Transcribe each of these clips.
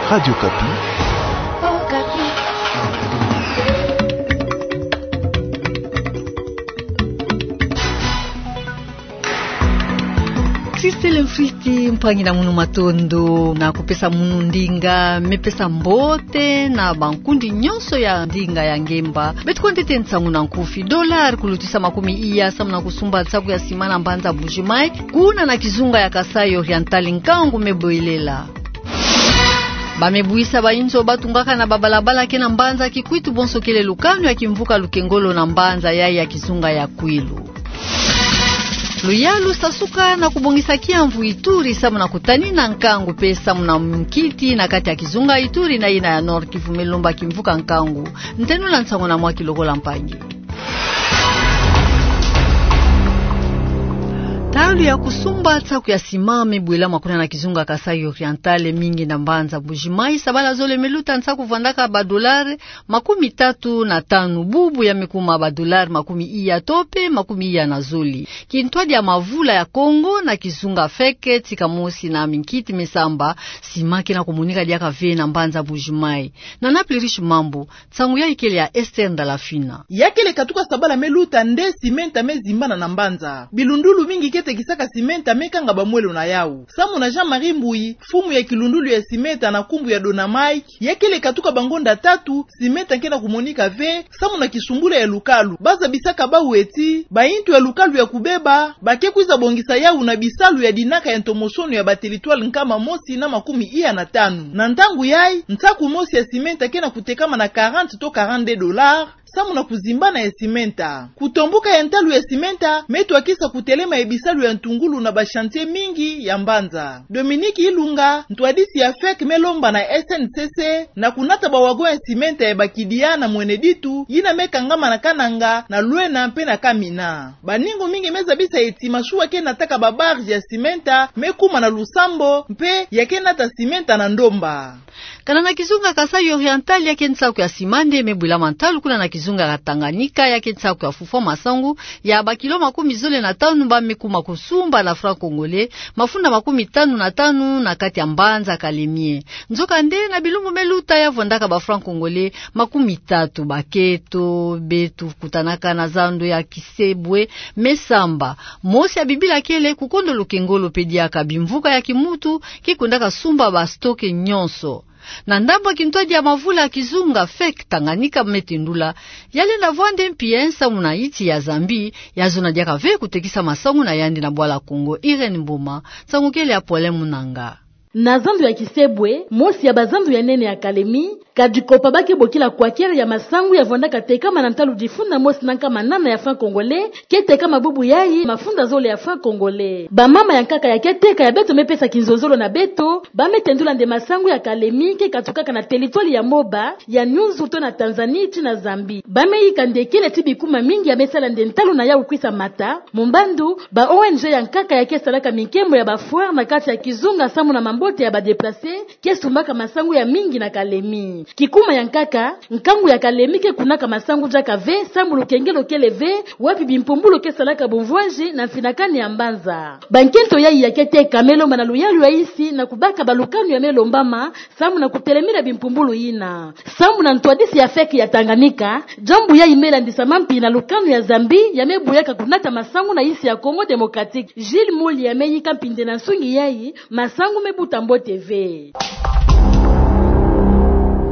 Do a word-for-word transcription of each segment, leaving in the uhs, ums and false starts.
Radio Okapi. Sisele mfiti, mpangi na munu matondo, na kupesa munu ndinga, me pesa mbote na bankundi nyonso ya ndinga ya ngemba. Beto kwa ntete nsangu na nkufi. Dollar kulutisa makumi iya samu na kusumba nsaku ya sima na mbanza Mbuji-Mayi, kuna na kizunga ya Kasaï Oriental nkangu me bwelela. Ba me buisa ba inzo ba tungaka na ba balabala ke na mbanza Kikwit, bonso kele lukanu ya kimvuka Lukengolo na mbanza yayi ya kizunga ya Kwilu. Luyalu sasuka na kubongisa kiamvu Ituri samu na kutanina nkangu pe samu na nkiti na kati ya kizunga Ituri na yina ya Nord-Kivu me lomba kimvuka nkangu. Ntenula nsangu na mwaki lokola mpangi. Ntalu ya kusumba nsaku ya sima me bwelama kuna na kizunga Kasaï Oriental, mingi na mbanza Mbuji-Mayi. Sabala zole me luta nsaku vwandaka ba dollar makumi tatu na tanu, bubu ya me kuma ba dollar makumi iya to pe makumi iya na zole. Kintwadi ya mavula ya Kongo na kizunga feke tika mosi na minkiti me samba, sima ke na kumonika diaka ve na mbanza Mbuji-Mayi. Na Naples Riche Mambu, nsangu yayi kele ya Esther Ndalafina. Ya kele katuka sabala me luta nde simenta me zimbana na mbanza. Bilundulu mingi ke tekisaka simenta me kanga ba mwelo na yawu. Samu na Jean-Marie Mbuyi, mfumu ya kilundulu ya simenta na nkumbu ya Dona Mike, ya kele katuka bangonda tatu, simenta ke na kumonika ve, samu na kisumbula ya lukalu. Ba zabisaka bawu ti, bayintu ya lukalu ya kubeba, ba ke kwiza bongisa yawu na bisalu ya dinaka ya ntomosono ya ba territoire nkama mosi na makumi iya na tanu. Na ntangu yayi, nsaku mosi ya simenta ke na kutekama na quarante to quarante-deux dollars, samu na kuzimbana ya simenta. Kutomboka ya ntalu ya simenta me twakisa kutelema ya bisalu ya ntungulu na ba chantier mingi ya mbanza. Dominique Ilunga, ntwadisi ya feke, me lomba na S N C C na kunata ba wagon ya simenta ya ba kidia na Mweneditu, yina me kangama na Kananga, na Luena mpe na Kamina. Baningu mingi me zabisa ti masuwa ke nataka ba barge ya simenta me kuma na lusambo, mpe ya ke nata simenta na ndomba. Kana na kizunga Kasaï Oriental, ya ke nsaku ya sima nde me bwelama ntalu kuna na kizunga ya Tanganyika, ya ke nsaku ya fufwa masangu ya ba kilo makumi zole na tanu ba me kuma kusumba na franc congolais mafunda makumi tanu na tanu na kati ya mbanza Kalemie. Nzokande na bilumbu me luta ya vwandaka ba franc congolais makumi tatu. Baketo beto kutanaka na zando ya Kisebwe me samba. Mosi ya bibila kele kukondo Lukengolo mpe diaka bimvuka ya kimuntu ke kwendaka sumba ba stock nyonso. Na ndambu ya kintwadi ya mavula ya kizunga feke, Tanganyika me tendula, ya lenda vwande mpia nsamu na insi ya Zambie, ya zona diaka ve kutekisa masangu na yandi na bwala Congo. Irène Mboma, nsangu kele ya Paulin Munanga. Na zando ya Kisebwe, mosi ya bazando ya nene ya Kalemie, ka dikopa ba ke bokila kwakere ya masangu ya vwandaka tekama na ntalu difunda mosi na nkama nana ya franc congolais, ke tekama bubu yayi mafunda zole ya franc congolais. Bamama ya nkaka ya ke teka ya beto me pesa kinzonzolo na beto, ba me tendula nde masangu ya Kalemie ke katukaka na territoire ya Moba, ya Nyunzu to na Tanzanie ti na Zambie. Ba me yika nde kele ti bikuma mingi ya me sala nde ntalu na yawu kwisa mata, mumbandu ba O N G ya nkaka ya ke salaka minkembo ya ba foire na kati ya kizunga samu na mambote ya ba déplacés, ke sumbaka masangu ya mingi na Kalemie. Kikuma ya nkaka, nkangu ya Kalemie ke kunaka masangu diaka ve, samu lukengelo kele ve, wapi bimpumbulu ke salaka bumvwanzi na mfinakani ya mbanza. Bankento yayi ya ke teka me lomba na luyalu ya insi na kubaka balukanu ya me lombama, samu na kutelemina bimpumbulu yina. Samu na ntwadisi ya feke ya Tanganyika, diambu yayi me landisa mampi na lukanu ya Zambie ya me buyaka kunata masangu na insi ya Congo Démocratique. Gilles Mouly ya me yika mpinde na nsungi yayi, masangu me buta mbote ve.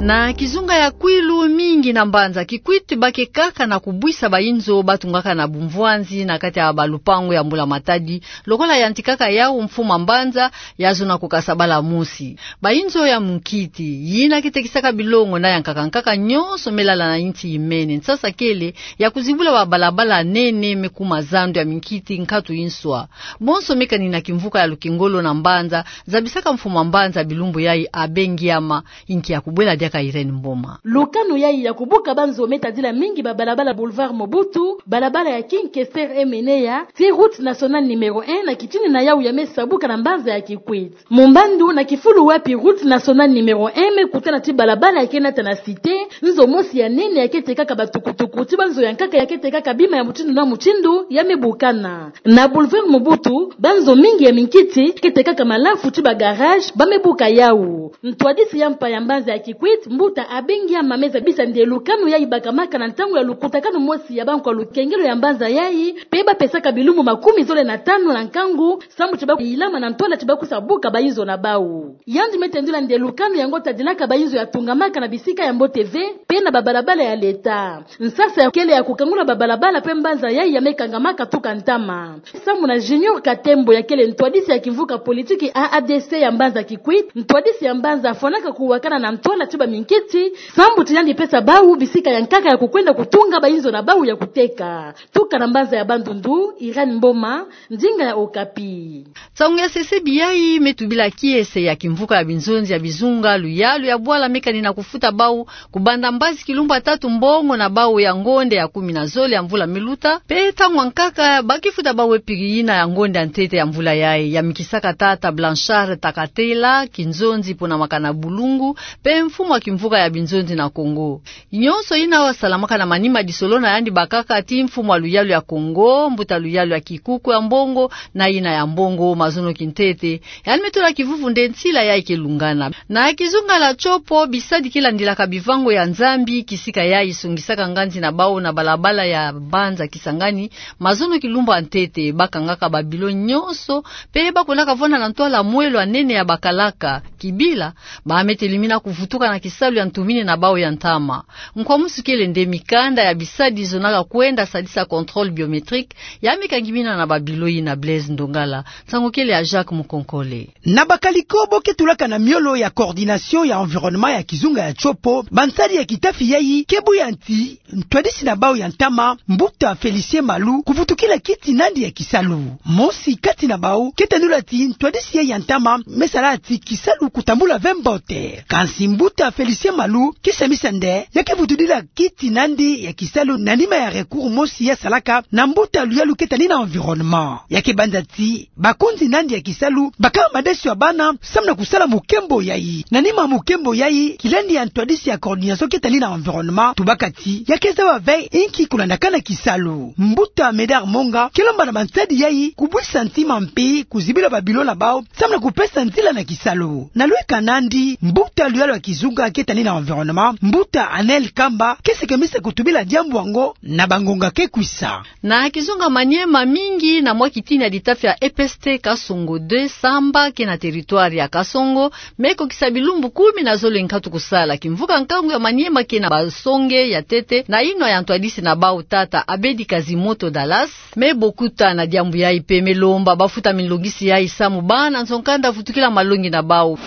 Na kizunga ya Kwilu, mingi na mbanza Kikwit ba ke kaka na kubwisa ba inzo ba tungaka na bumvwanzi na kati ya balupangu ya mbula-matadi, lokola yantikaka yawu mfumu a mbanza, ya zona kukasa bala mosi. Ba inzo ya munkiti, yina ke tekisaka bilongo na ya nkaka-nkaka nyonso me lala na insi imene, nsasa kele ya kuzibula ba balabala nene me kuma zando ya minkiti nkatu inswa. Bonso me kanina kimvuka ya lukengolo na mbanza, zabisaka mfumu a mbanza bilumbu yayi Abbé Ngiama, inki ya kubwela diaka ka Irène Mboma. Lukanu yayi ya kubuka banzo me tadila mingi babalabala Boulevard Mobutu, balabala ya King Kester Emeneya, tii route nationale numéro un na kitini na yawu ya me sabuka na mbanza ya Kikwit. Mumbandu na kifulu wapi route nationale numéro un me kutana tii balabala ya ke nata na Cité, nzo mosi ya nene ya ke tekaka batukutuku tii banzo ya nkaka ya ke tekaka bima ya mutindu na mutindu ya me bukana. Na Boulevard Mobutu, banzo mingi ya minkiti ke tekaka malafu tii bagarage ba me buka yawu. Ntwadisi ya mpa ya mbanza ya Kikwit, Mbuta Abengi Ama, me zabisa nde lukanu yayi bakamaka na ntangu ya lukutakanu mosi ya bankwa lukengelo ya mbanza yayi, pe ba pesaka bilumbu makumi zole na tanu na nkangu, sambu tii ba kuyilama na ntwala tii ba kusa buka bayinzo na bawu. Yandi me tendula nde lukanu yango tadilaka bayinzo ya tungamaka na bisika ya mbote ve, pe na babalabala ya leta. Nsasa ya kele ya kukangula babalabala pe mbanza yayi ya me kangamaka tuka ntama. Sambu na Junior Katembo ya kele ntwadisi ya kimvuka politiki A A D C ya mbanza Kikwit, ntwadisi ya mbanza afwanaka kuwakana na ntwala tii baminkiti, sambu tii yandi pesa bawu bisika ya nkaka ya kukwenda kutunga bayinzo na bawu ya kuteka. Tuka na mbanza ya Bandundu, Irène Mboma, ndinga ya Okapi. Nsangu ya sesebi yayi me tubila kiese ya kimvuka ya binzonzi ya bizunga luyalu ya bwala me kanina kufuta bawu, kubanda mbazi kilumbu ya tatu mbongo na bawu ya ngonde ya kumi na zole ya mvula me luta, pe ntangu ya nkaka ba ke futa bawu epiki yina ya ngonde ya ntete ya mvula yayi, ya mikisaka tata Blanchard Takatela, kinzonzi ponamaka na Bulungu, pe mfumu ya kimvuka ya binzonzi na Kongo. Nyonso yina salamaka na manima disolo na yandi bakaka tii mfumu ya luyalu ya Kongo, mbuta luyalu ya kikuku ya mbongo, na yina ya mbongo, mazono kintete. Yandi me tula kivuvu nde nsila yayi ke lungana. Na kizunga ya Tshopo, bisadi ke landilaka bivango ya Nzambi, kisika yayi songisaka nganzi na bawu na balabala ya mbanza Kisangani, mazono kilumbu ya ntete, ba kangaka babilo nyonso, pe ba kwendaka vwanda na ntwala mwelo ya nene ya bakalaka, kibila, ba me telimina kuvutuka na kisalu ya ntumini na bawu ya ntama. Nkwamusu kele nde mikanda ya bisadi zonaka kwenda sadisa contrôle biométrique, ya me kangimina na babilo yina. Blaise Ndongala. Nsangu kele ya Jacques Mukonkole. Na bakala liko bo ke tulaka na miolo ya coordination ya environnement ya kizunga ya Tshopo, bansadi ya kitafi yayi ke buya nti ntwadisi na bawu ya ntama, mbuta Félicien Malu, kuvutukila kiti nandi ya kisalu. Mosi kati na bawu ke tendula ti ntwadisi yayi ya ntama me sala ti kisalu kutambula ve mbote. Kansi mbuta Félicien Malu ke semisa nde ya ke vutudila kiti nandi ya kisalu na nima ya recours mosi ya salaka na mbuta luyalu ke tani na environnement. Ya ke banza ti bakonzi nandi ya kisalu ba kaba madeso ya bana samu na kusala mukembo yayi. Na nima mukembo yayi, kilandi ya ntwadisi ya coordination ke tani na environnement tubaka ti ya ke zaba ve inki kulandakana kisalu. Mbuta Médard Monga ke lomba na bansadi yayi kubwisa ntima mpe kuzibila babilo na bawu samu na kupesa nzila na kisalu. Na lweka nandi, mbuta luyalu ya kizunga ke tani na environnement, mbuta Anel Kamba, ke sekemisa kutubila diambu yango na bangonga ke kwisa. Na kizunga Maniema, mingi na mwa kitini ya litafi ya E P S T Kasongo deux, samba ke na territoire ya Kasongo, me kokisa bilumbu kumi na zole nkatu kusala. Kimvuka nkangu ya Maniema ke na basonge ya ntete na yinwa ya ntwadisi na bawu, tata Abedi Kazimoto Dallas, me bokuta na diambu yayi mpe me lomba bafuta minlongisi yayi samu bana nzo-nkanda vutukila malongi na bawu.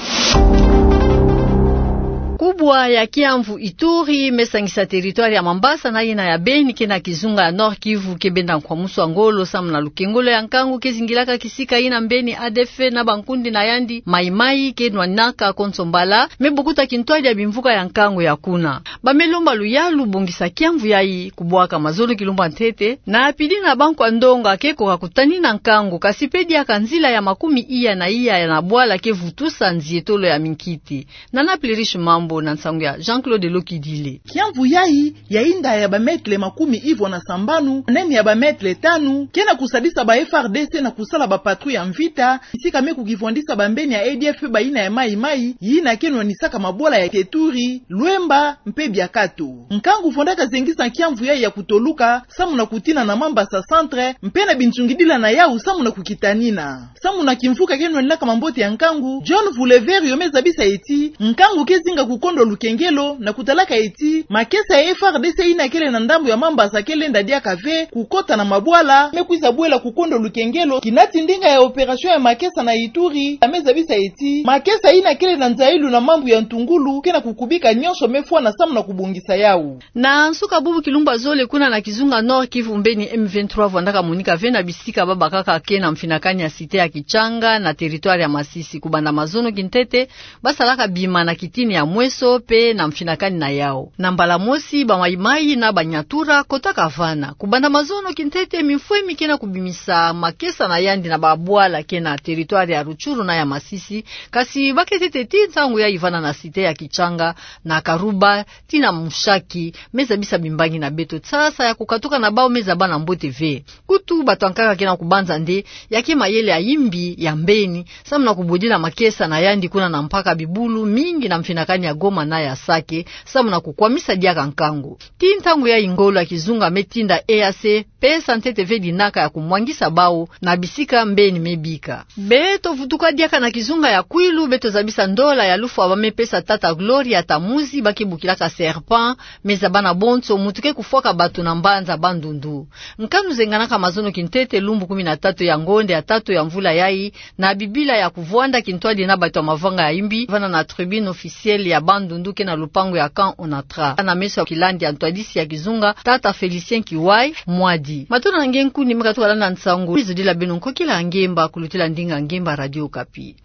Kubwa ya kiamvu Ituri me sangisa territoire ya Mambasa na yina ya Beni ke na kizunga ya Nord-Kivu ke benda nkwamusu ya ngolo samu na lukengolo ya nkangu ke zingilaka kisika yina mbeni A D F na bankundi na yandi Mai-Mai ke nwaninaka konso mbala, me bokuta kintwadi ya bimvuka ya nkangu ya kuna. Ba me lomba luyalu bongisa kiamvu yayi, kubwaka mazono kilumbu ya ntete, na pili na bankwa ndonga ke koka kutanina nkangu, kasi mpe diaka nzila ya makumia na iya ya na bwala ke vutusa nzietolo ya minkiti. Nana Plerish Mambo na nsangu ya Jean-Claude Lokidile. Kiamvu yayi, ya inda ya ba mètre makumi ivwa na sambanu, nene ya ba mètre tanu, ke na kusadisa ba F A R D C na kusala ba patrouille ya mvita, bisika me kukivwandisa bambeni ya A D F mpe bayina ya Mai-Mai, yina ke nwanisaka mabwala ya Teturi, Lwemba, mpe Biakato. Nkangu vwandaka zengisa kiamvu yayi ya kutoluka, samu na kutina na Mambasa Centre, mpe na binzungidila na yawu samu na kukitanina. Samu na kimvuka ke nwaninaka mambote ya nkangu, John Vulever yo me zabisa ti, nkangu ke zinga kukondwa lukengelo, na kutalaka ti, makesa ya F A R D C yina kele na ndambu ya Mambasa ke lenda diaka ve kukota na mabwala, me kwiza bwela kukondwa lukengelo, kinati ndinga ya opération ya makesa na Ituri, ya me zabisa ti, makesa yina kele na nzayilu na mambu ya ntungulu, ke na kukubika nyonso me fwana samu na kubongisa yawu. Na nsuka bubu kilumbu ya zole kuna na kizunga Nord-Kivu mbeni M vingt-trois vwandaka monika ve na bisika ba bakaka ke na mfinakani ya cité ya Kitshanga na territoire ya Masisi, kubanda mazono kintete, ba salaka bima na kitini ya mweso, to pe na mfinakani na yau. Na mbala mosi ba Maï-Maï na ba Nyatura kotaka vana. Kubanda mazono kintete, mimfwe mi ke na kubimisa makesa na yandi na ba bwala ke na territoire ya Rutshuru na ya Masisi, kasi baketete ti ntangu yayi vana na cité ya Kitshanga, na Karuba, tii na Mushaki, me zabisa bimbangi na beto tsasa ya kukatuka na bau me zaba na mbote ve. Kutu bato ya nkaka ke na kubanza nde, ya ke mayele ya imbi ya mbeni, samu na kubudila makesa na yandi kuna na mpaka bibulu mingi na mfinakani ya Goma na ya Sake, samu na kukwamisa diaka nkangu. Ti ntangu yayi ngolo ya kizunga me tinda E A C pesa ntete ve dinaka ya kumwangisa bau na bisika mbeni me bika. Beto vutuka diaka na kizunga ya Kwilu, beto zabisa ndola ya lufwa ba me pesa tata Gloria Tamuzi, ba ke bokilaka Serpent, me zaba na bonso, mutu ke kufwaka bato na mbanza Bandundu. Nkanu zenganaka mazono kintete, lumbu kumi na tatu ya ngonde ya tatu ya mvula yayi, na bibila ya kuvwanda kintwadi na bato ya mavanga ya imbi, vana na tribune officielle ya Bandundu ke na lupangu ya camp Onatra. Na meso ya kilandi ya ntwadisi ya kizunga, tata Félicien Kiwai Mwadi. Matondo na nge nkundi me katuka landa nsangu. Mizodila beno nkokila ya ngemba kulutila ndinga ngemba Radio Okapi.